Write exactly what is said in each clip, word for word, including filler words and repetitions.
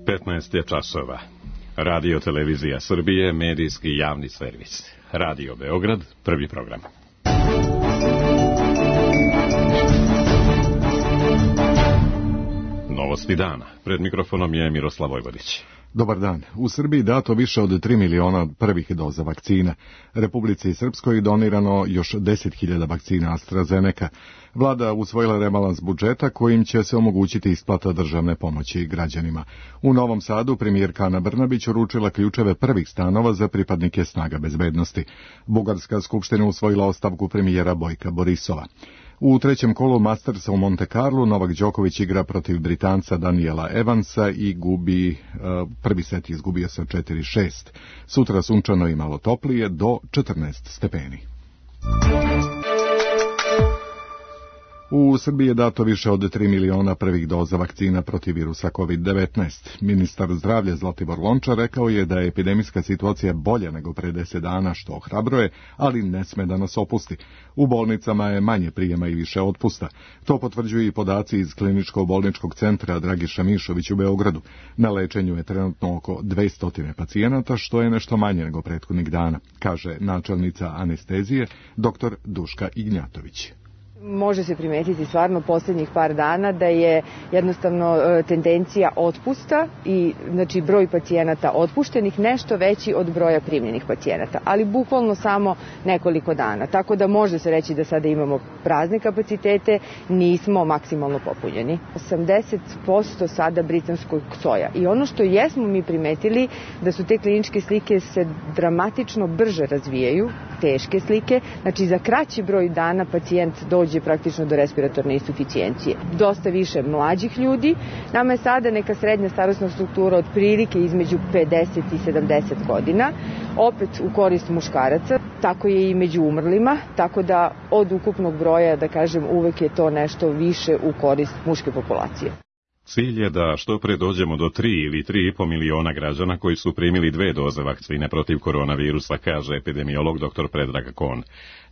petnaest je časova. Radio Televizija Srbije, medijski javni servis. Radio Beograd, prvi program. Novosti dana. Pred mikrofonom je Miroslav Vojvodić. Dobar dan. U Srbiji dato više od tri miliona prvih doza vakcina. Republici Srpskoj donirano još deset hiljada vakcina AstraZeneca. Vlada usvojila rebalans budžeta kojim će se omogućiti isplata državne pomoći građanima. U Novom Sadu premijerka Ana Brnabić uručila ključeve prvih stanova za pripadnike snaga bezbednosti. Bugarska skupština usvojila ostavku premijera Bojka Borisova. U trećem kolu Mastersa u Monte Carlo Novak Đoković igra protiv Britanca Daniela Evansa i gubi, uh, prvi set izgubio sa četiri šest. Sutra sunčano i malo toplije do četrnaest stepeni. U Srbiji je dato više od tri miliona prvih doza vakcina protiv virusa kovid devetnaest. Ministar zdravlja Zlatibor Lončar rekao je da je epidemijska situacija bolja nego pre deset dana, što ohrabruje, ali ne sme da nas opusti. U bolnicama je manje prijema i više otpusta. To potvrđuju i podaci iz kliničko-bolničkog centra Dragiša Mišović u Beogradu. Na lečenju je trenutno oko dvesta pacijenata, što je nešto manje nego prethodnih dana, kaže načelnica anestezije dr. Duška Ignjatović. Može se primetiti stvarno posljednjih par dana da je jednostavno tendencija otpusta i znači broj pacijenata otpuštenih nešto veći od broja primljenih pacijenata, ali bukvalno samo nekoliko dana. Tako da može se reći da sada imamo prazne kapacitete, nismo maksimalno popunjeni. osamdeset posto sada britanskog soja. I ono što jesmo mi primetili da su te kliničke slike se dramatično brže razvijaju, teške slike, znači za kraći broj dana pacijent dođe praktično do respiratorne insuficijencije. Dosta više mlađih ljudi. Nama je sada neka srednja starosna struktura otprilike između pedeset i sedamdeset godina, opet u korist muškaraca, tako je i među umrlima, tako da od ukupnog broja, da kažem, uvek je to nešto više u korist muške populacije. Cilj je da što pre dođemo do tri ili tri i po miliona građana koji su primili dve doze vakcine protiv koronavirusa, kaže epidemiolog dr. Predrag Kon.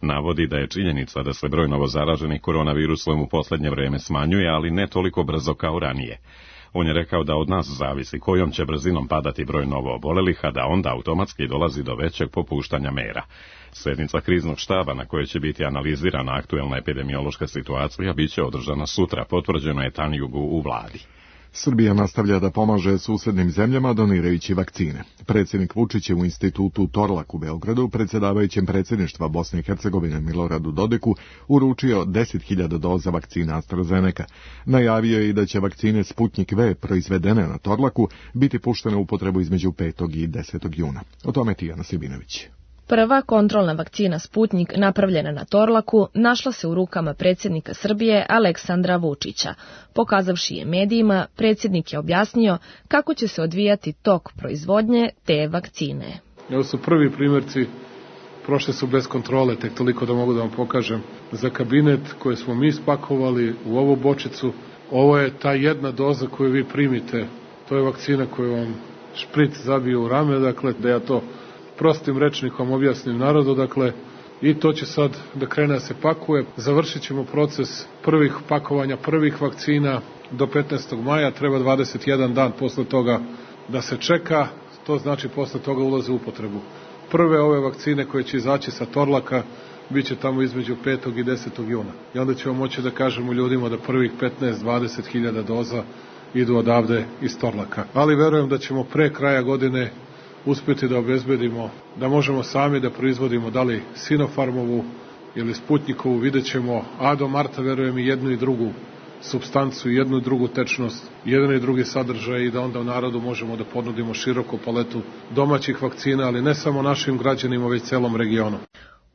Navodi da je činjenica da se broj novozaraženih koronavirusom u poslednje vreme smanjuje, ali ne toliko brzo kao ranije. On je rekao da od nas zavisi kojom će brzinom padati broj novo obolelih, a da onda automatski dolazi do većeg popuštanja mera. Sednica kriznog štaba na kojoj će biti analizirana aktuelna epidemiološka situacija biće održana sutra, potvrđeno je Tanjugu u vladi. Srbija nastavlja da pomaže susednim zemljama donirajući vakcine. Predsjednik Vučić je u institutu Torlak u Beogradu predsjedavajućem predsjedništva Bosne i Hercegovine Miloradu Dodiku uručio deset hiljada doza vakcina AstraZeneca. Najavio je i da će vakcine Sputnik V proizvedene na Torlaku biti puštene u upotrebu između petog i desetog juna. O tome Tijana Sibinović. Prva kontrolna vakcina Sputnik napravljena na Torlaku našla se u rukama predsjednika Srbije Aleksandra Vučića. Pokazavši je medijima, predsjednik je objasnio kako će se odvijati tok proizvodnje te vakcine. Ovo su prvi primjerci, prošle su bez kontrole, tek toliko da mogu da vam pokažem. Za kabinet koje smo mi spakovali u ovu bočicu, ovo je ta jedna doza koju vi primite. To je vakcina koju vam špric zabije u rame, dakle da ja to prostim rečnikom objasnim narodu, dakle, i to će sad da krene da se pakuje. Završit ćemo proces prvih pakovanja, prvih vakcina do petnaestog maja, treba dvadeset jedan dan posle toga da se čeka, to znači posle toga ulaze u upotrebu. Prve ove vakcine koje će izaći sa Torlaka bit će tamo između petog i desetog juna. I onda ćemo moći da kažemo ljudima da prvih petnaest do dvadeset hiljada doza idu odavde iz Torlaka. Ali verujem da ćemo pre kraja godine uspjeti da obezbedimo, da možemo sami da proizvodimo da li Sinopharmovu ili Sputnikovu, vidjet ćemo, a do marta verujem i jednu i drugu supstancu, jednu i drugu tečnost, jedan i drugi sadržaj i da onda u narodu možemo da ponudimo široku paletu domaćih vakcina, ali ne samo našim građanima, već celom regionu.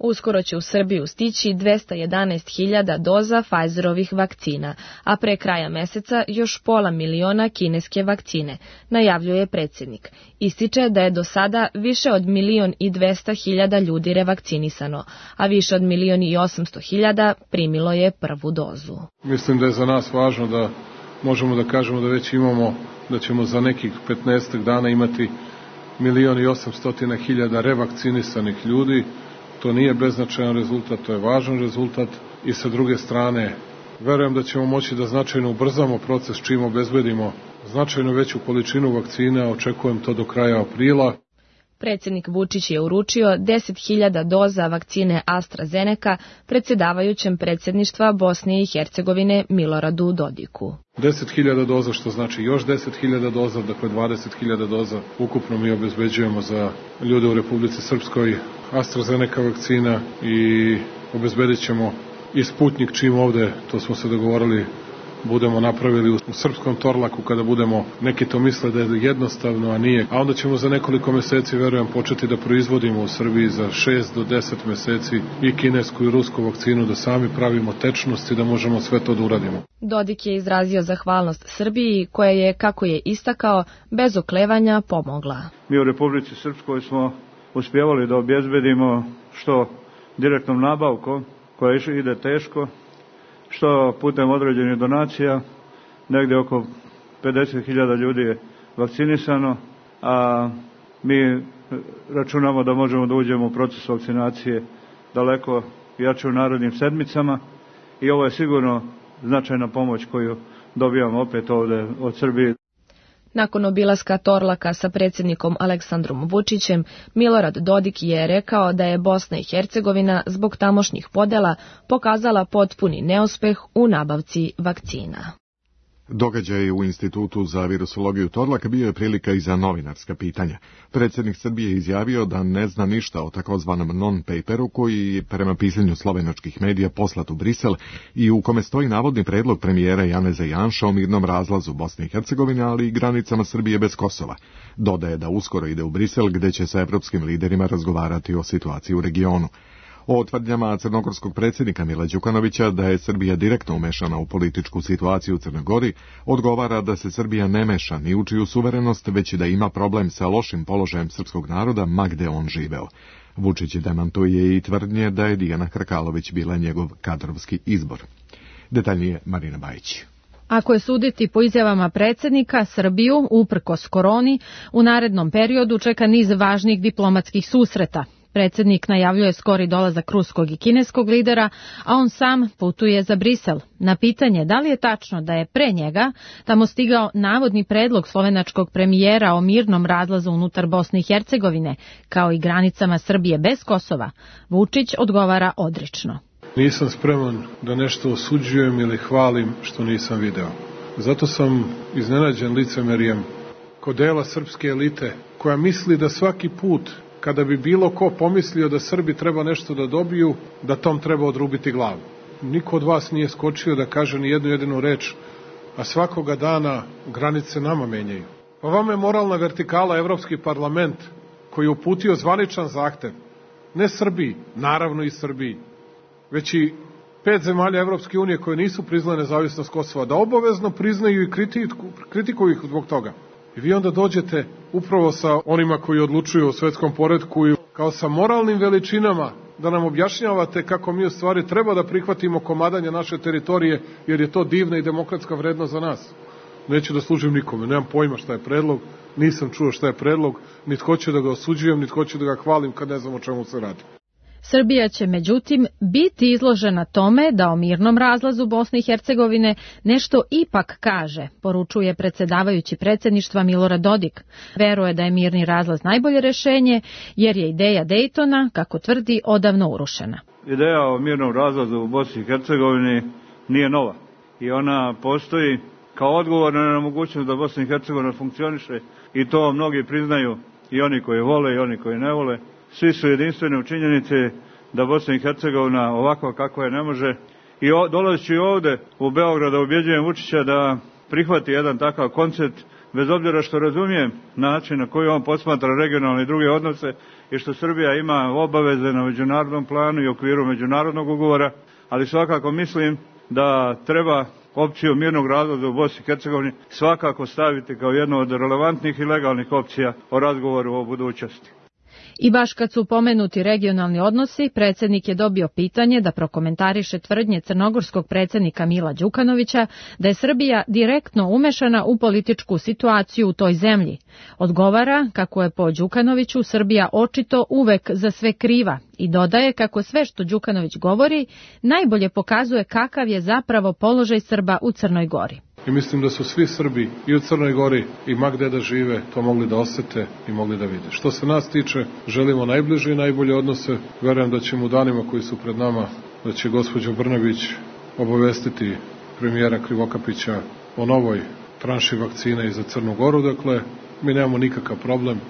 Uskoro će u Srbiju stići dvesta jedanaest hiljada doza Pfizerovih vakcina, a pre kraja meseca još pola miliona kineske vakcine, najavljuje predsjednik. Ističe da je do sada više od milion i dvesta hiljada ljudi revakcinisano, a više od milion i osamsto hiljada primilo je prvu dozu. Mislim da je za nas važno da možemo da kažemo da već imamo, da ćemo za nekih petnaestak dana imati milion i osamsto hiljada revakcinisanih ljudi. To nije beznačajan rezultat, to je važan rezultat i sa druge strane verujem da ćemo moći da značajno ubrzamo proces čim obezbedimo značajno veću količinu vakcina, očekujem to do kraja aprila. Predsjednik Vučić je uručio deset hiljada doza vakcine AstraZeneca predsjedavajućem predsjedništva Bosne i Hercegovine Miloradu Dodiku. deset hiljada doza, što znači još deset hiljada doza, dakle dvadeset hiljada doza ukupno mi obezbeđujemo za ljude u Republici Srpskoj AstraZeneca vakcina i obezbedit ćemo i Sputnik čim ovde, to smo se dogovorili, budemo napravili u srpskom Torlaku kada budemo, neki to misle da je jednostavno, a nije. A onda ćemo za nekoliko meseci, verujem, početi da proizvodimo u Srbiji za šest do deset meseci i kinesku i rusku vakcinu, da sami pravimo tečnost i da možemo sve to da uradimo. Dodik je izrazio zahvalnost Srbiji koja je, kako je istakao, bez oklevanja pomogla. Mi u Republici Srpskoj smo uspjevali da obezbedimo što direktnom nabavkom, koja ide teško, što putem određenih donacija, negdje oko pedeset hiljada ljudi je vakcinisano, a mi računamo da možemo da uđemo u proces vakcinacije daleko jače u narednim sedmicama i ovo je sigurno značajna pomoć koju dobijamo opet ovdje od Srbije. Nakon obilaska Torlaka sa predsjednikom Aleksandrom Vučićem, Milorad Dodik je rekao da je Bosna i Hercegovina zbog tamošnjih podela pokazala potpuni neuspeh u nabavci vakcina. Događaj u Institutu za virusologiju Torlak bio je prilika i za novinarska pitanja. Predsjednik Srbije je izjavio da ne zna ništa o takozvanom non-paperu koji je prema pisanju slovenačkih medija poslat u Brisel i u kome stoji navodni predlog premijera Janeza Janša o mirnom razlazu Bosne i Hercegovine, ali i granicama Srbije bez Kosova. Dodaje da uskoro ide u Brisel gde će sa evropskim liderima razgovarati o situaciji u regionu. O tvrdnjama crnogorskog predsjednika Mila Đukanovića da je Srbija direktno umešana u političku situaciju u Crnoj Gori, odgovara da se Srbija ne meša ni u čiju suverenost, već i da ima problem sa lošim položajem srpskog naroda ma gde on živeo. Vučić demantuje i tvrdnje da je Dijana Hrkalović bila njegov kadrovski izbor. Detaljnije Marina Bajić. Ako je suditi po izjavama predsjednika, Srbiju, uprkos koroni, u narednom periodu čeka niz važnih diplomatskih susreta. Predsjednik najavljuje skori dolazak ruskog i kineskog lidera, a on sam putuje za Brisel. Na pitanje da li je tačno da je pre njega tamo stigao navodni predlog slovenačkog premijera o mirnom razlazu unutar Bosne i Hercegovine, kao i granicama Srbije bez Kosova, Vučić odgovara odrično. Nisam spreman da nešto osuđujem ili hvalim što nisam video. Zato sam iznenađen licemerijem kod dela srpske elite, koja misli da svaki put kada bi bilo ko pomislio da Srbi treba nešto da dobiju, da tom treba odrubiti glavu. Niko od vas nije skočio da kaže ni jednu jedinu reč, a svakoga dana granice nama menjaju. Pa vama je moralna vertikala Evropski parlament koji je uputio zvaničan zahtev, ne Srbiji, naravno i Srbiji, već i pet zemalja Evropske unije koje nisu priznale nezavisnost Kosova, da obavezno priznaju i kritiku, kritikuju ih zbog toga. I vi onda dođete upravo sa onima koji odlučuju o svetskom poretku i kao sa moralnim veličinama da nam objašnjavate kako mi u stvari treba da prihvatimo komadanje naše teritorije, jer je to divna i demokratska vrednost za nas. Neću da služim nikome, nemam pojma šta je predlog, nisam čuo šta je predlog, niti hoću da ga osuđujem, niti hoću da ga hvalim kad ne znam o čemu se radi. Srbija će međutim biti izložena tome da o mirnom razlazu Bosne i Hercegovine nešto ipak kaže, poručuje predsjedavajući predsjedništva Milorad Dodik. Veruje da je mirni razlaz najbolje rješenje jer je ideja Dejtona, kako tvrdi, odavno urušena. Ideja o mirnom razlazu u Bosni i Hercegovini nije nova i ona postoji kao odgovor na nemogućnost da Bosna i Hercegovina funkcioniše i to mnogi priznaju, i oni koji vole i oni koji ne vole. Svi su jedinstveni u činjenici da Bosna i Hercegovina ovako kako je ne može. I dolazeći ovde u Beograd da ubjeđujem Vučića da prihvati jedan takav koncept, bez obzira što razumijem način na koji on posmatra regionalne i druge odnose i što Srbija ima obaveze na međunarodnom planu i okviru međunarodnog ugovora, ali svakako mislim da treba opciju mirnog razlaza u Bosni i Hercegovini svakako staviti kao jednu od relevantnih i legalnih opcija o razgovoru o budućnosti. I baš kad su pomenuti regionalni odnosi, predsjednik je dobio pitanje da prokomentariše tvrdnje crnogorskog predsjednika Mila Đukanovića da je Srbija direktno umešana u političku situaciju u toj zemlji. Odgovara kako je po Đukanoviću Srbija očito uvek za sve kriva i dodaje kako sve što Đukanović govori najbolje pokazuje kakav je zapravo položaj Srba u Crnoj Gori. I mislim da su svi Srbi i u Crnoj Gori i ma gde da žive to mogli da osete i mogli da vide. Što se nas tiče, želimo najbliže i najbolje odnose. Verujem da ćemo u danima koji su pred nama, da će gospođa Brnabić obavestiti premijera Krivokapića o novoj tranši vakcina i za Crnu Goru. Dakle, mi nemamo nikakav problem,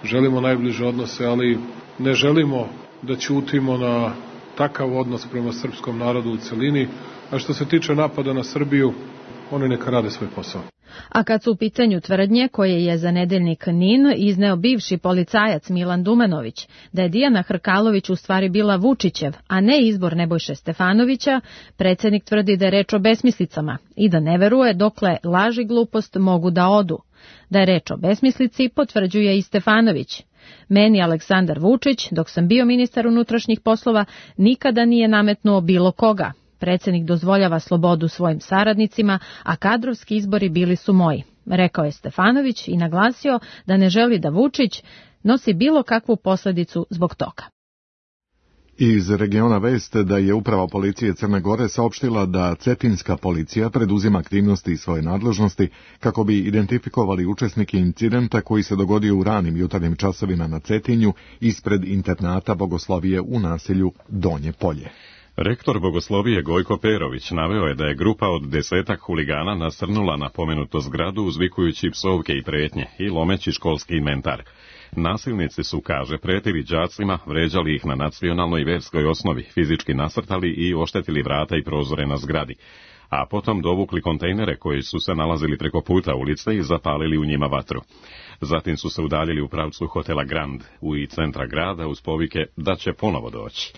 želimo najbliže odnose, ali ne želimo da ćutimo na takav odnos prema srpskom narodu u celini, a što se tiče napada na Srbiju, oni neka rade svoj posao. A kad su u pitanju tvrdnje koje je za nedeljnik N I N izneo bivši policajac Milan Dumanović, da je Dijana Hrkalović u stvari bila Vučićev, a ne izbor Nebojše Stefanovića, predsjednik tvrdi da je reč o besmislicama i da ne veruje dokle laž i glupost mogu da odu. Da je reč o besmislici potvrđuje i Stefanović. Meni Aleksandar Vučić, dok sam bio ministar unutrašnjih poslova, nikada nije nametnuo bilo koga. Predsjednik dozvoljava slobodu svojim saradnicima, a kadrovski izbori bili su moji, rekao je Stefanović i naglasio da ne želi da Vučić nosi bilo kakvu posljedicu zbog toga. Iz regiona vest da je uprava policije Crne Gore saopštila da cetinska policija preduzima aktivnosti iz svoje nadležnosti kako bi identifikovali učesnike incidenta koji se dogodio u ranim jutarnjim časovima na Cetinju ispred internata Bogoslovije u naselju Donje Polje. Rektor Bogoslovije Gojko Perović naveo je da je grupa od desetak huligana nasrnula na pomenutu zgradu uzvikujući psovke i pretnje i lomeći školski inventar. Nasilnici su, kaže, pretili đacima, vređali ih na nacionalnoj i verskoj osnovi, fizički nasrtali i oštetili vrata i prozore na zgradi, a potom dovukli kontejnere koji su se nalazili preko puta ulice i zapalili u njima vatru. Zatim su se udaljili u pravcu hotela Grand u i centra grada uz povike da će ponovo doći.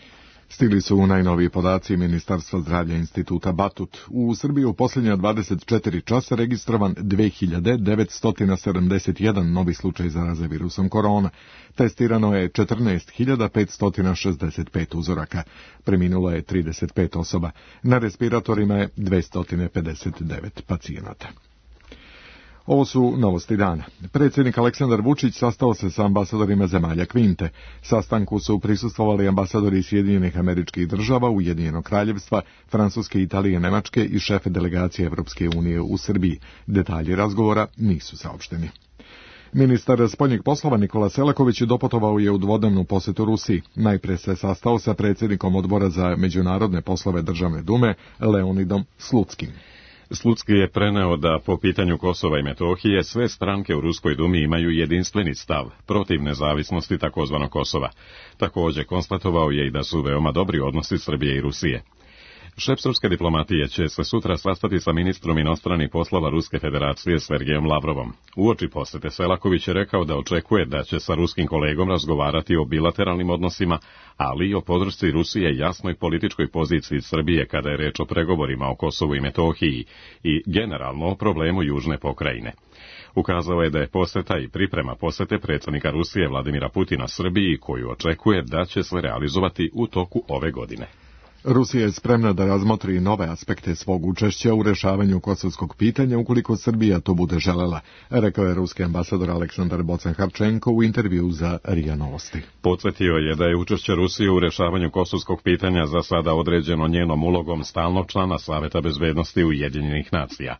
Stigli su najnoviji podaci Ministarstva zdravlja Instituta Batut. U Srbiji u posljednja dvadeset četiri časa registrovan dve hiljade devetsto sedamdeset jedan novi slučaj zaraze virusom korona. Testirano je četrnaest hiljada petsto šezdeset pet uzoraka. Preminulo je trideset pet osoba. Na respiratorima je dvesta pedeset devet pacijenata. Ovo su novosti dana. Predsjednik Aleksandar Vučić sastao se sa ambasadorima zemalja Kvinte. Sastanku su prisustvovali ambasadori Sjedinjenih Američkih Država, Ujedinjenog Kraljevstva, Francuske, Italije, Nemačke i šefe delegacije Evropske unije u Srbiji. Detalji razgovora nisu saopšteni. Ministar spoljnih poslova Nikola Selaković doputovao je u dvodnevnu posjetu Rusiji. Najprije se sastao sa predsjednikom odbora za međunarodne poslove Državne dume Leonidom Slutskim. Slutski je preneo da po pitanju Kosova i Metohije sve stranke u Ruskoj dumi imaju jedinstveni stav protiv nezavisnosti takozvanog Kosova. Također konstatovao je i da su veoma dobri odnosi Srbije i Rusije. Šef srpske diplomatije će se sutra sastati sa ministrom inostranih poslova Ruske federacije Sergejom Lavrovom. Uoči posjete Selaković je rekao da očekuje da će sa ruskim kolegom razgovarati o bilateralnim odnosima, ali i o podršci Rusije jasnoj političkoj poziciji Srbije kada je reč o pregovorima o Kosovu i Metohiji i generalno o problemu južne pokrajine. Ukazao je da je posjeta i priprema posjete predsjednika Rusije Vladimira Putina Srbiji, koju očekuje da će se realizovati u toku ove godine. Rusija je spremna da razmotri nove aspekte svog učešća u rešavanju kosovskog pitanja ukoliko Srbija to bude želela, rekao je ruski ambasador Aleksandar Bocan-Harčenko u intervju za R I A Novosti. Podsjetio je da je učešće Rusije u rešavanju kosovskog pitanja za sada određeno njenom ulogom stalnog člana Saveta bezbednosti Ujedinjenih nacija.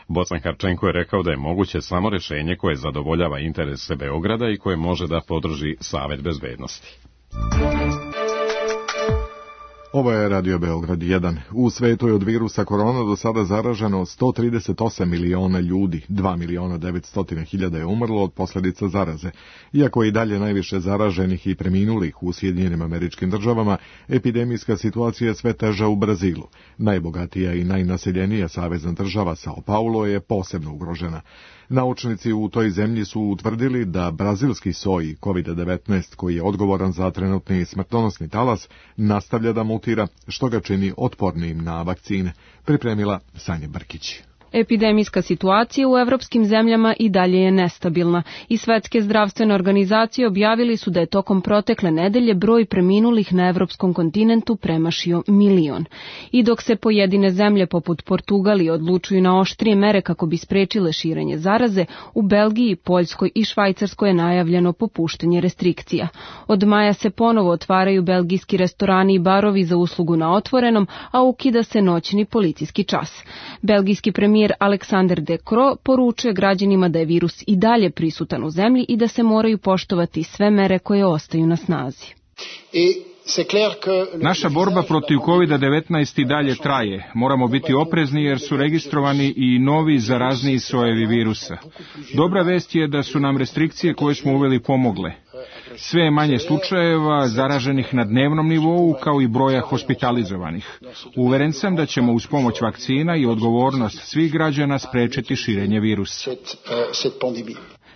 Bocan-Harčenko je rekao da je moguće samo rješenje koje zadovoljava interese Beograda i koje može da podrži Savet bezbednosti. Ovo je Radio Beograd jedan. U svetu je od virusa korona do sada zaraženo sto trideset osam miliona ljudi, dva miliona devetsto hiljada je umrlo od posljedica zaraze. Iako je i dalje najviše zaraženih i preminulih u Sjedinjenim Američkim Državama, epidemijska situacija je sve teža u Brazilu. Najbogatija i najnaseljenija savezna država Sao Paulo je posebno ugrožena. Naučnici u toj zemlji su utvrdili da brazilski soj kovid devetnaest, koji je odgovoran za trenutni smrtonosni talas, nastavlja da mutira, što ga čini otpornim na vakcine, pripremila Sanja Brkić. Epidemijska situacija u evropskim zemljama i dalje je nestabilna i Svetske zdravstvene organizacije objavili su da je tokom protekle nedelje broj preminulih na evropskom kontinentu premašio milion. I dok se pojedine zemlje poput Portugalije odlučuju na oštrije mere kako bi sprečile širenje zaraze, u Belgiji, Poljskoj i Švajcarskoj je najavljeno popuštanje restrikcija. Od maja se ponovo otvaraju belgijski restorani i barovi za uslugu na otvorenom, a ukida se noćni policijski čas. Belgijski premijer Premijer Alexander De Croo poručuje građanima da je virus i dalje prisutan u zemlji i da se moraju poštovati sve mere koje ostaju na snazi. Naša borba protiv kovid devetnaest i dalje traje. Moramo biti oprezni jer su registrovani i novi zarazniji sojevi virusa. Dobra vest je da su nam restrikcije koje smo uveli pomogle. Sve je manje slučajeva zaraženih na dnevnom nivou kao i broja hospitalizovanih. Uveren sam da ćemo uz pomoć vakcina i odgovornost svih građana sprečiti širenje virusa.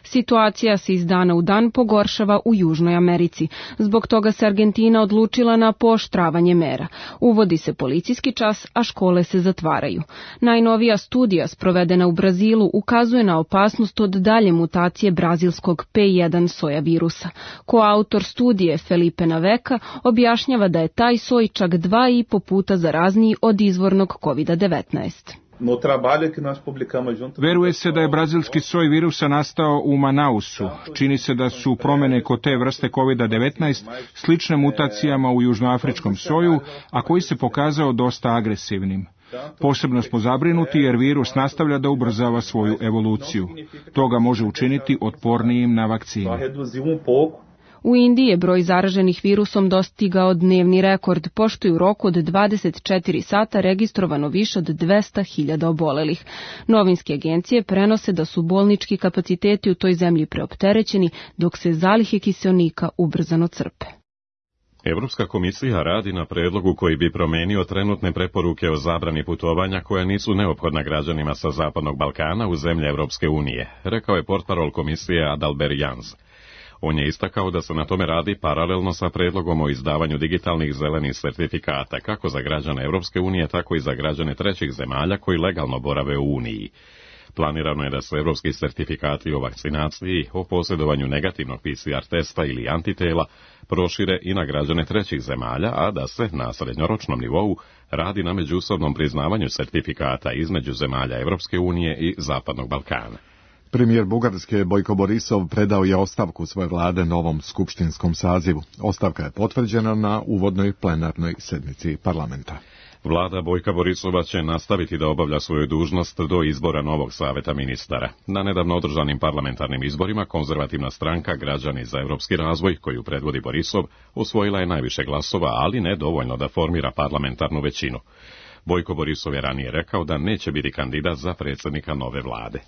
Situacija se iz dana u dan pogoršava u Južnoj Americi. Zbog toga se Argentina odlučila na pooštravanje mera. Uvodi se policijski čas, a škole se zatvaraju. Najnovija studija sprovedena u Brazilu ukazuje na opasnost od dalje mutacije brazilskog P jedan soja virusa. Koautor studije Felipe Naveka objašnjava da je taj soj čak dva i po puta zarazniji od izvornog kovid devetnaest. Veruje se da je brazilski soj virusa nastao u Manausu. Čini se da su promjene kod te vrste kovid devetnaest slične mutacijama u južnoafričkom soju, a koji se pokazao dosta agresivnim. Posebno smo zabrinuti jer virus nastavlja da ubrzava svoju evoluciju. To ga može učiniti otpornijim na vakcine. U Indiji je broj zaraženih virusom dostigao dnevni rekord, pošto je u roku od dvadeset četiri sata registrovano više od dvesta hiljada obolelih. Novinske agencije prenose da su bolnički kapaciteti u toj zemlji preopterećeni, dok se zalihe kiseonika ubrzano crpe. Evropska komisija radi na predlogu koji bi promenio trenutne preporuke o zabrani putovanja koja nisu neophodna građanima sa Zapadnog Balkana u zemlje Evropske unije, rekao je portparol komisije Adalbert Jans. On je istakao da se na tome radi paralelno sa predlogom o izdavanju digitalnih zelenih sertifikata, kako za građane Evropske unije, tako i za građane trećih zemalja koji legalno borave u Uniji. Planirano je da se evropski sertifikati o vakcinaciji, o posjedovanju negativnog P C R testa ili antitela prošire i na građane trećih zemalja, a da se na srednjoročnom nivou radi na međusobnom priznavanju sertifikata između zemalja Evropske unije i Zapadnog Balkana. Premijer Bugarske Bojko Borisov predao je ostavku svoje vlade novom skupštinskom sazivu. Ostavka je potvrđena na uvodnoj plenarnoj sednici parlamenta. Vlada Bojka Borisova će nastaviti da obavlja svoju dužnost do izbora novog saveta ministara. Na nedavno održanim parlamentarnim izborima konzervativna stranka Građani za evropski razvoj, koju predvodi Borisov, osvojila je najviše glasova, ali ne dovoljno da formira parlamentarnu većinu. Bojko Borisov je ranije rekao da neće biti kandidat za predsjednika nove vlade.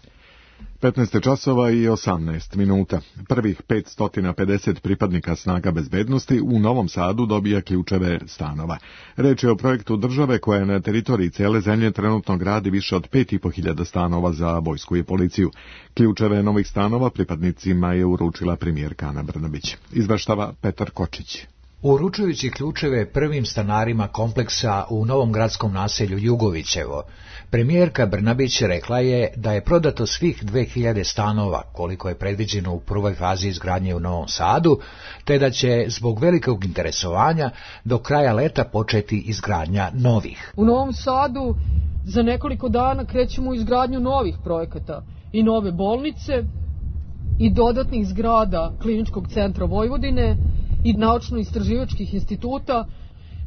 petnaest časova i osamnaest minuta. Prvih petsto pedeset pripadnika snaga bezbednosti u Novom Sadu dobija ključeve stanova. Reč je o projektu države koja na teritoriji cele zemlje trenutno gradi više od pet i po hiljada stanova za vojsku i policiju. Ključeve novih stanova pripadnicima je uručila premijerka Ana Brnabić. Izveštava Petar Kočić. Uručujući ključeve prvim stanarima kompleksa u novom gradskom naselju Jugovićevo, premijerka Brnabić rekla je da je prodato svih dve hiljade stanova, koliko je predviđeno u prvoj fazi izgradnje u Novom Sadu, te da će zbog velikog interesovanja do kraja leta početi izgradnja novih. U Novom Sadu za nekoliko dana krećemo u izgradnju novih projekata i nove bolnice i dodatnih zgrada Kliničkog centra Vojvodine i naučno-istraživačkih instituta.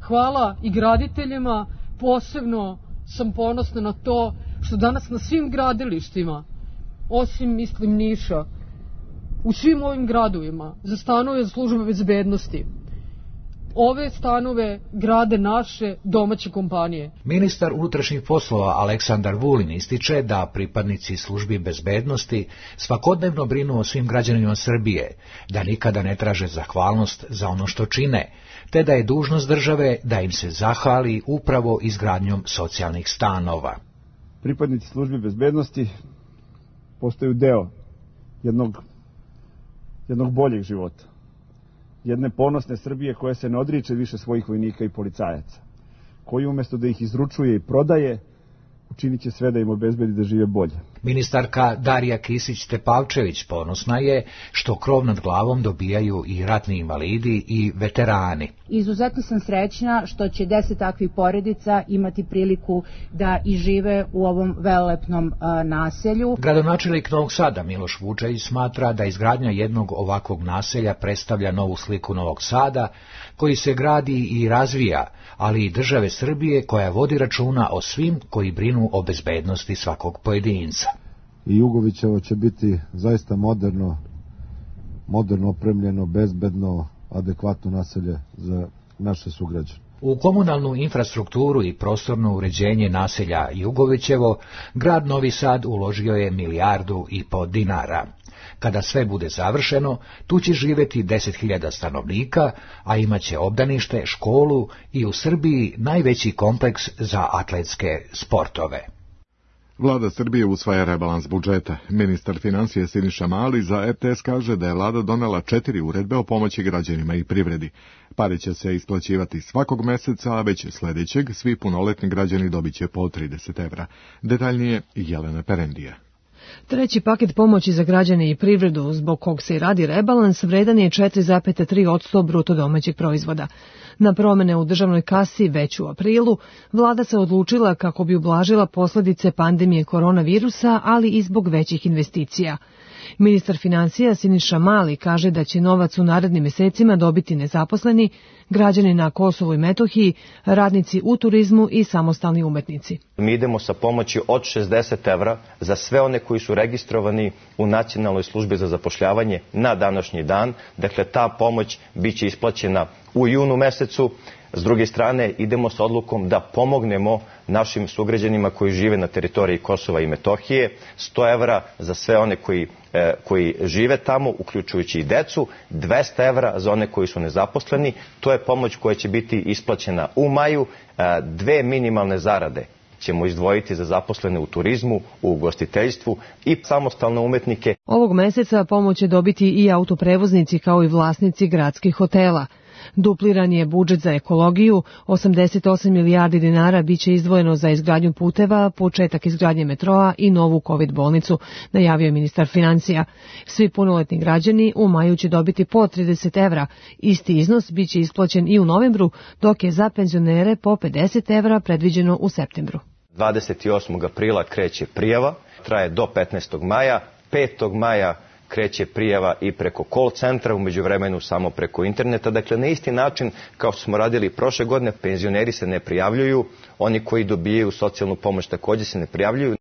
Hvala i graditeljima, posebno sam ponosna na to što danas na svim gradilištima, osim mislim Niša, u svim ovim gradovima za stanove za službe bezbednosti, ove stanove grade naše domaće kompanije. Ministar unutrašnjih poslova Aleksandar Vulin ističe da pripadnici službi bezbednosti svakodnevno brinu o svim građanima Srbije, da nikada ne traže zahvalnost za ono što čine, te da je dužnost države da im se zahvali upravo izgradnjom socijalnih stanova. Pripadnici službi bezbednosti postaju deo jednog, jednog boljeg života. Jedne ponosne Srbije koja se ne odriče više svojih vojnika i policajaca, koji umjesto da ih izručuje i prodaje, učinit će sve da im obezbedi da žive bolje. Ministarka Darija Kisić-Tepavčević ponosna je što krov nad glavom dobijaju i ratni invalidi i veterani. Izuzetno sam srećna što će deset takvih porodica imati priliku da i žive u ovom velelepnom a, naselju. Gradonačelnik Novog Sada Miloš Vučević smatra da izgradnja jednog ovakvog naselja predstavlja novu sliku Novog Sada, koji se gradi i razvija, ali i države Srbije koja vodi računa o svim koji brinu o bezbednosti svakog pojedinca. I Jugovićevo će biti zaista moderno, moderno opremljeno, bezbedno, adekvatno naselje za naše sugrađane. U komunalnu infrastrukturu i prostorno uređenje naselja Jugovićevo, grad Novi Sad uložio je milijardu i po dinara. Kada sve bude završeno, tu će živjeti deset hiljada stanovnika, a imaće obdanište, školu i u Srbiji najveći kompleks za atletske sportove. Vlada Srbije usvaja rebalans budžeta. Ministar financije Siniša Mali za R T S kaže da je vlada donela četiri uredbe o pomoći građanima i privredi. Pare će se isplaćivati svakog meseca, a već sljedećeg svi punoletni građani dobit će po trideset evra. Detaljnije Jelena Perendija. Treći paket pomoći za građane i privredu, zbog kog se i radi rebalans, vredan je četiri zarez tri posto bruto domaćeg proizvoda. Na promene u državnoj kasi već u aprilu, vlada se odlučila kako bi ublažila posljedice pandemije koronavirusa, ali i zbog većih investicija. Ministar financija Siniša Mali kaže da će novac u narednim mesecima dobiti nezaposleni, građani na Kosovu i Metohiji, radnici u turizmu i samostalni umetnici. Mi idemo sa pomoći od šezdeset evra za sve one koji su registrovani u Nacionalnoj službi za zapošljavanje na današnji dan. Dakle, ta pomoć biće isplaćena u junu mesecu. S druge strane, idemo sa odlukom da pomognemo našim sugrađanima koji žive na teritoriji Kosova i Metohije, sto evra za sve one koji, e, koji žive tamo, uključujući i decu, dvesta evra za one koji su nezaposleni. To je pomoć koja će biti isplaćena u maju, e, dve minimalne zarade ćemo izdvojiti za zaposlene u turizmu, u ugostiteljstvu i samostalne umetnike. Ovog meseca pomoć će dobiti i autoprevoznici kao i vlasnici gradskih hotela. Dupliran je budžet za ekologiju, osamdeset osam milijardi dinara biće izdvojeno za izgradnju puteva, početak izgradnje metroa i novu COVID bolnicu, najavio je ministar financija. Svi punoletni građani u maju će dobiti po trideset evra. Isti iznos biće isplaćen i u novembru, dok je za penzionere po pedeset evra predviđeno u septembru. dvadeset osmog aprila kreće prijava, traje do petnaestog maja, petog maja kreće prijava i preko call centra, u međuvremenu samo preko interneta. Dakle, na isti način kao što smo radili prošle godine, penzioneri se ne prijavljuju, oni koji dobijaju socijalnu pomoć također se ne prijavljuju.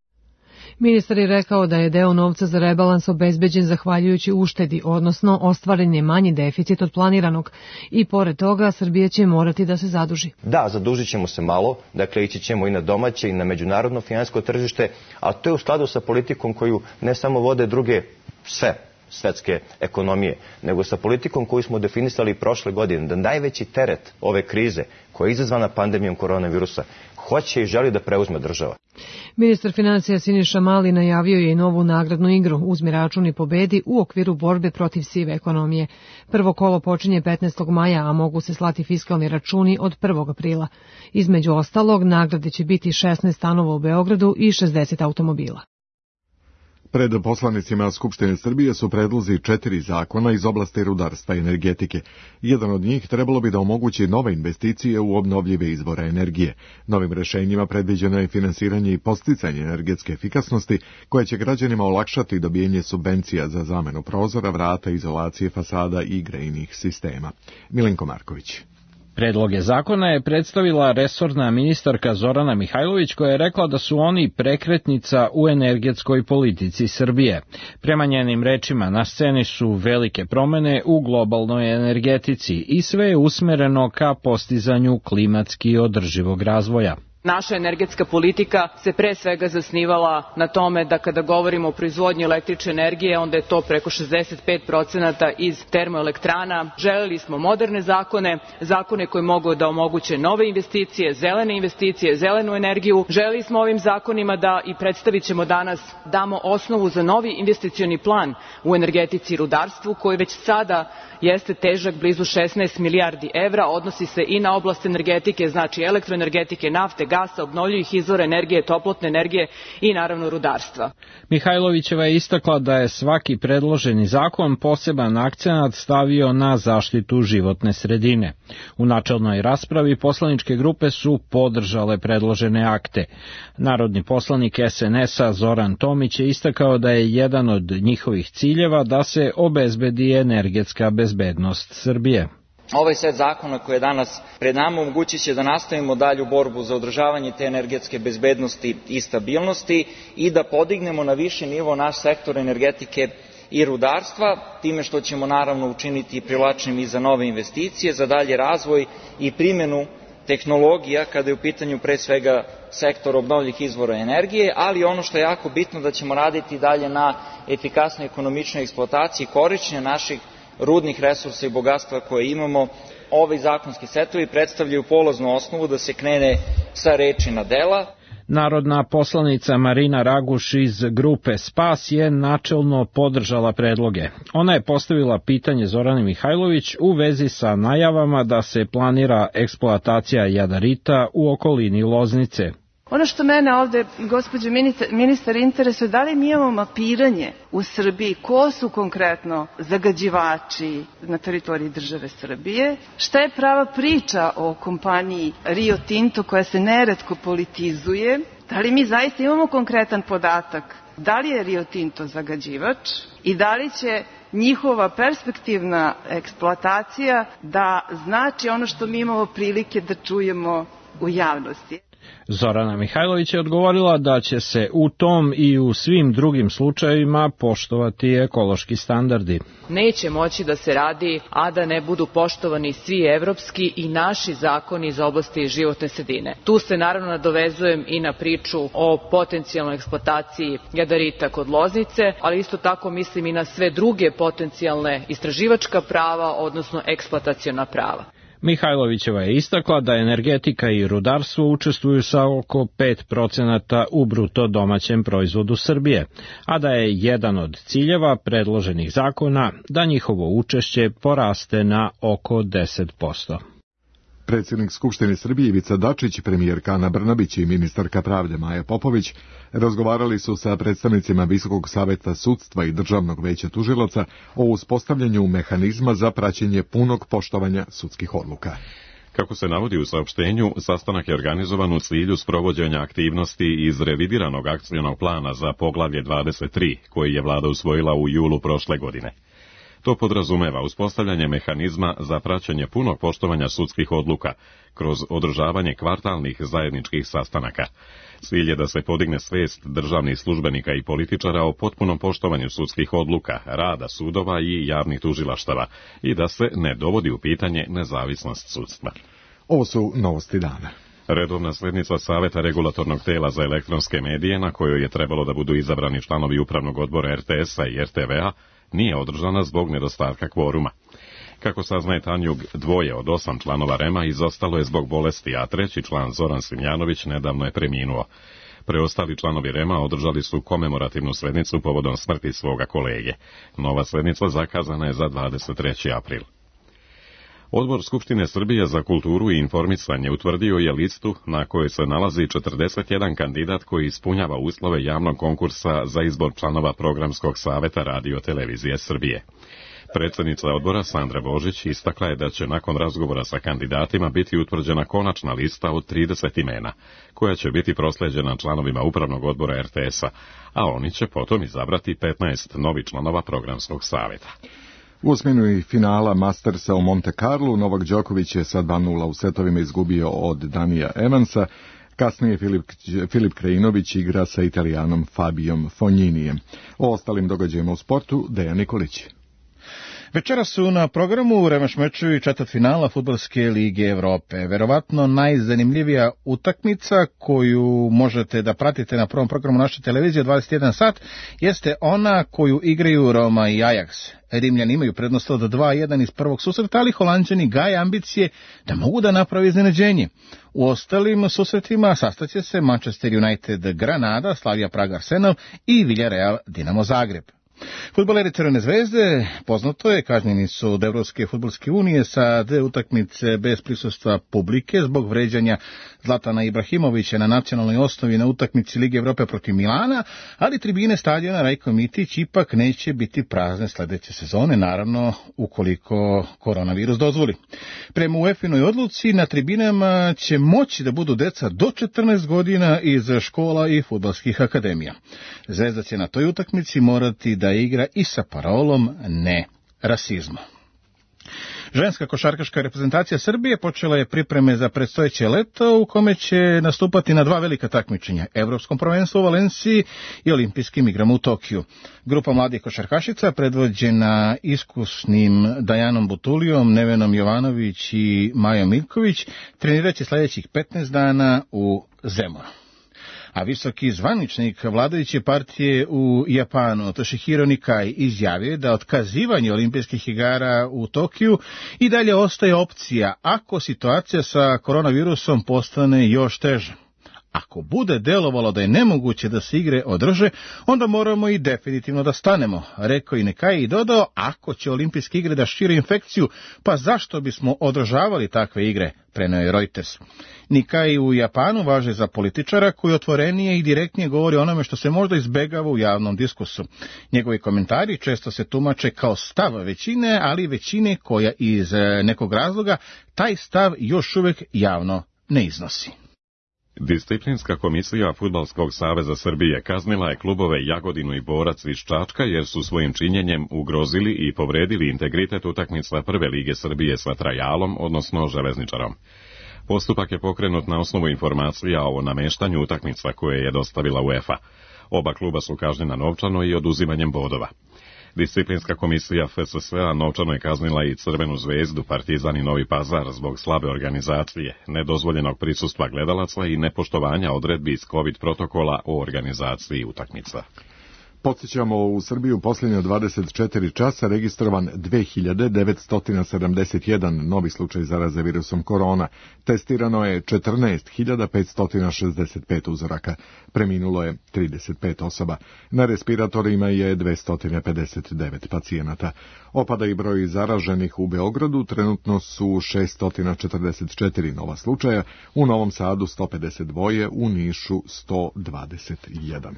Ministar je rekao da je deo novca za rebalans obezbeđen zahvaljujući uštedi, odnosno ostvaren je manji deficit od planiranog i pored toga Srbija će morati da se zaduži. Da, zadužit ćemo se malo, dakle ići ćemo i na domaće i na međunarodno finansijsko tržište, a to je u skladu sa politikom koju ne samo vode druge sve svetske ekonomije, nego sa politikom koju smo definisali prošle godine, da najveći teret ove krize koja je izazvana pandemijom koronavirusa hoće i želi da preuzme država. Ministar financija Siniša Mali najavio je i novu nagradnu igru Uzmi račun i pobedi u okviru borbe protiv sive ekonomije. Prvo kolo počinje petnaestog maja, a mogu se slati fiskalni računi od prvog aprila. Između ostalog, nagrade će biti šesnaest stanova u Beogradu i šezdeset automobila. Pred poslanicima Skupštine Srbije su predlozi četiri zakona iz oblasti rudarstva i energetike. Jedan od njih trebalo bi da omogući nove investicije u obnovljive izvore energije. Novim rešenjima predviđeno je finansiranje i podsticanje energetske efikasnosti, koje će građanima olakšati dobijenje subvencija za zamenu prozora, vrata, izolacije fasada i grejnih sistema. Milenko Marković. Predloge zakona je predstavila resorna ministarka Zorana Mihajlović, koja je rekla da su oni prekretnica u energetskoj politici Srbije. Prema njenim rečima, na sceni su velike promene u globalnoj energetici i sve je usmereno ka postizanju klimatski održivog razvoja. Naša energetska politika se pre svega zasnivala na tome da kada govorimo o proizvodnji električne energije, onda je to preko šezdeset pet procenata iz termoelektrana. Želeli smo moderne zakone, zakone koji mogu da omoguće nove investicije, zelene investicije, zelenu energiju. Želeli smo ovim zakonima da, i predstavit ćemo danas, damo osnovu za novi investicioni plan u energetici i rudarstvu, koji već sada jeste težak blizu šesnaest milijardi evra, odnosi se i na oblast energetike, znači elektroenergetike, nafte, gasa, obnovljivih izvora energije, toplotne energije i naravno rudarstva. Mihajlovićeva je istakla da je svaki predloženi zakon poseban akcenat stavio na zaštitu životne sredine. U načelnoj raspravi poslaničke grupe su podržale predložene akte. Narodni poslanik es en es-a Zoran Tomić je istakao da je jedan od njihovih ciljeva da se obezbedi energetska bezbednost Srbije. Ovaj set zakona koji je danas pred nama omogućit će da nastavimo dalju borbu za održavanje te energetske bezbednosti i stabilnosti i da podignemo na viši nivo naš sektor energetike i rudarstva, time što ćemo naravno učiniti privlačnim i za nove investicije, za dalji razvoj i primjenu tehnologija kada je u pitanju pre svega sektor obnovljivih izvora energije, ali ono što je jako bitno da ćemo raditi dalje na efikasnoj ekonomičnoj eksploataciji korišćenja naših rudnih resursa i bogatstva koje imamo. Ovi zakonski setovi predstavljaju polaznu osnovu da se krene sa reči na dela. Narodna poslanica Marina Raguš iz grupe Spas je načelno podržala predloge. Ona je postavila pitanje Zorani Mihajlović u vezi sa najavama da se planira eksploatacija jadarita u okolini Loznice. Ono što mene ovde, gospođo ministar, ministar interesuje, da li mi imamo mapiranje u Srbiji, ko su konkretno zagađivači na teritoriji države Srbije, šta je prava priča o kompaniji Rio Tinto koja se neretko politizuje, da li mi zaista imamo konkretan podatak, da li je Rio Tinto zagađivač i da li će njihova perspektivna eksploatacija da znači ono što mi imamo prilike da čujemo u javnosti. Zorana Mihajlović je odgovorila da će se u tom i u svim drugim slučajevima poštovati ekološki standardi. Neće moći da se radi, a da ne budu poštovani svi evropski i naši zakoni iz oblasti životne sredine. Tu se naravno nadovezujem i na priču o potencijalnoj eksploataciji jadarita kod Loznice, ali isto tako mislim i na sve druge potencijalne istraživačka prava, odnosno eksploataciona prava. Mihajlovićeva je istakla da energetika i rudarstvo učestvuju sa oko pet procenata u bruto domaćem proizvodu Srbije, a da je jedan od ciljeva predloženih zakona da njihovo učešće poraste na oko deset posto. Predsjednik Skupštine Srbije Ivica Dačić, premijerka Ana Brnabić i ministarka pravde Maja Popović razgovarali su sa predstavnicima Visokog saveta sudstva i Državnog veća tužilaca o uspostavljanju mehanizma za praćenje punog poštovanja sudskih odluka. Kako se navodi u saopštenju, sastanak je organizovan u cilju sprovođenja aktivnosti iz revidiranog akcionog plana za poglavlje dvadeset tri, koji je vlada usvojila u julu prošle godine. To podrazumeva uspostavljanje mehanizma za praćenje punog poštovanja sudskih odluka kroz održavanje kvartalnih zajedničkih sastanaka. Cilj je da se podigne svest državnih službenika i političara o potpunom poštovanju sudskih odluka, rada sudova i javnih tužilaštava i da se ne dovodi u pitanje nezavisnost sudstva. Ovo su novosti dana. Redovna slednica Saveta regulatornog tela za elektronske medije, na kojoj je trebalo da budu izabrani članovi upravnog odbora er te es-a i er te ve-a, nije održana zbog nedostatka kvoruma. Kako saznaje Tanjug, dvoje od osam članova rema izostalo je zbog bolesti, a treći član Zoran Simjanović nedavno je preminuo. Preostali članovi rema održali su komemorativnu slednicu povodom smrti svoga kolege. Nova slednica zakazana je za dvadeset treći april. Odbor Skupštine Srbije za kulturu i informisanje utvrdio je listu na kojoj se nalazi četrdeset jedan kandidat koji ispunjava uslove javnog konkursa za izbor članova Programskog saveta Radio televizije Srbije. Predsjednica odbora Sandra Božić istakla je da će nakon razgovora sa kandidatima biti utvrđena konačna lista od trideset imena, koja će biti prosleđena članovima upravnog odbora er te es-a, a oni će potom izabrati petnaest novih članova Programskog saveta. U osmini finala Mastersa u Monte Carlu Novak Đoković je sa dva nula u setovima izgubio od Danija Evansa. Kasnije Filip, Filip Krajinović igra sa Italijanom Fabijom Fogninijem. O ostalim događajima u sportu Dejan Nikolić. Večera su na programu revanš mečevi četvrtfinala Fudbalske lige Evrope. Verovatno najzanimljivija utakmica koju možete da pratite na prvom programu naše televizije dvadeset jedan sat jeste ona koju igraju Roma i Ajax. Rimljani imaju prednost od dva jedan iz prvog susreta, ali Holanđani gaje ambicije da mogu da napravi iznenađenje. U ostalim susretima sastaće se Manchester United Granada, Slavia Praga Arsenal i Villarreal Dinamo Zagreb. Fudbaleri Crvene zvezde, poznato je, kažnjeni su od Evropske fudbalske unije sa dve utakmice bez prisustva publike zbog vređanja Zlatana Ibrahimovića na nacionalnoj osnovi na utakmici Lige Evrope protiv Milana, ali tribine stadiona Rajko Mitić ipak neće biti prazne sledeće sezone, naravno ukoliko koronavirus dozvoli. Prema UEFA-inoj odluci na tribinama će moći da budu deca do četrnaest godina iz škola i fudbalskih akademija. Zvezda će na toj utakmici morati da igra i sa parolom ne rasizmu. Ženska košarkaška reprezentacija Srbije počela je pripreme za predstojeće leto u kome će nastupati na dva velika takmičenja, Evropskom prvenstvu u Valenciji i Olimpijskim igrama u Tokiju. Grupa mladih košarkašica predvođena iskusnim Dajanom Butulijom, Nevenom Jovanović i Majom Miljković treniraće sljedećih petnaest dana u Zemunu. A visoki zvaničnik vladajuće partije u Japanu, Toshihiro Nikai, izjavio da otkazivanje olimpijskih igara u Tokiju i dalje ostaje opcija ako situacija sa koronavirusom postane još teža. Ako bude delovalo da je nemoguće da se igre održe, onda moramo i definitivno da stanemo, rekao i Nikai i dodao, ako će olimpijske igre da šire infekciju, pa zašto bismo održavali takve igre, preneo je Reuters. Nikai u Japanu važe za političara koji otvorenije i direktnije govori o onome što se možda izbegava u javnom diskursu. Njegovi komentari često se tumače kao stav većine, ali većine koja iz nekog razloga taj stav još uvijek javno ne iznosi. Disciplinska komisija Fudbalskog saveza Srbije kaznila je klubove Jagodinu i Borac iz Čačka jer su svojim činjenjem ugrozili i povredili integritet utakmica Prve lige Srbije sa Trajalom, odnosno Železničarom. Postupak je pokrenut na osnovu informacija o nameštanju utakmica koje je dostavila UEFA. Oba kluba su kažnjena novčano i oduzimanjem bodova. Disciplinska komisija F S S-a novčano je kaznila i Crvenu zvezdu, Partizan i Novi Pazar zbog slabe organizacije, nedozvoljenog prisustva gledalaca i nepoštovanja odredbi iz COVID protokola o organizaciji utakmica. Podsjećamo, u Srbiju posljednje dvadeset četiri časa registrovan dve hiljade devetsto sedamdeset jedan novi slučaj zaraze virusom korona. Testirano je četrnaest hiljada petsto šezdeset pet uzoraka. Preminulo je trideset pet osoba. Na respiratorima je dvesta pedeset devet pacijenata. Opada i broj zaraženih u Beogradu, trenutno su šesto četrdeset četiri nova slučaja, u Novom Sadu sto pedeset dva, u Nišu sto dvadeset jedan.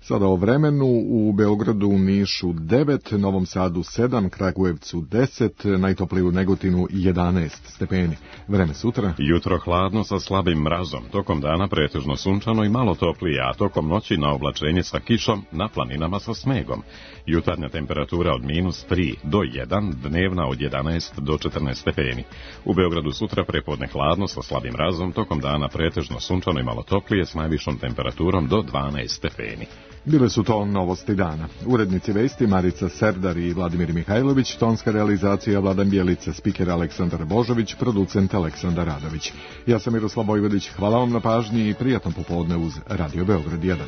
Sada o vremenu: u Beogradu, u Nišu devet, Novom Sadu sedam, Kragujevcu deset, najtoplije u Negotinu jedanaest stepeni. Vreme sutra: jutro hladno sa slabim mrazom, tokom dana pretežno sunčano i malo toplije, a tokom noći na oblačenje sa kišom, na planinama sa snegom. Jutarnja temperatura od minus tri do jedan, dnevna od jedanaest do četrnaest stepeni. U Beogradu sutra prepodne hladno sa slabim mrazom, tokom dana pretežno sunčano i malo toplije s najvišom temperaturom do dvanaest stepeni. Bile su to novosti dana. Urednici vesti Marica Serdar i Vladimir Mihajlović, tonska realizacija Vladan Bjelica, spiker Aleksandar Božović, producent Aleksandar Radović. Ja sam Miroslav Vojvodić, hvala vam na pažnji i prijatno popodne uz Radio Beograd jedan.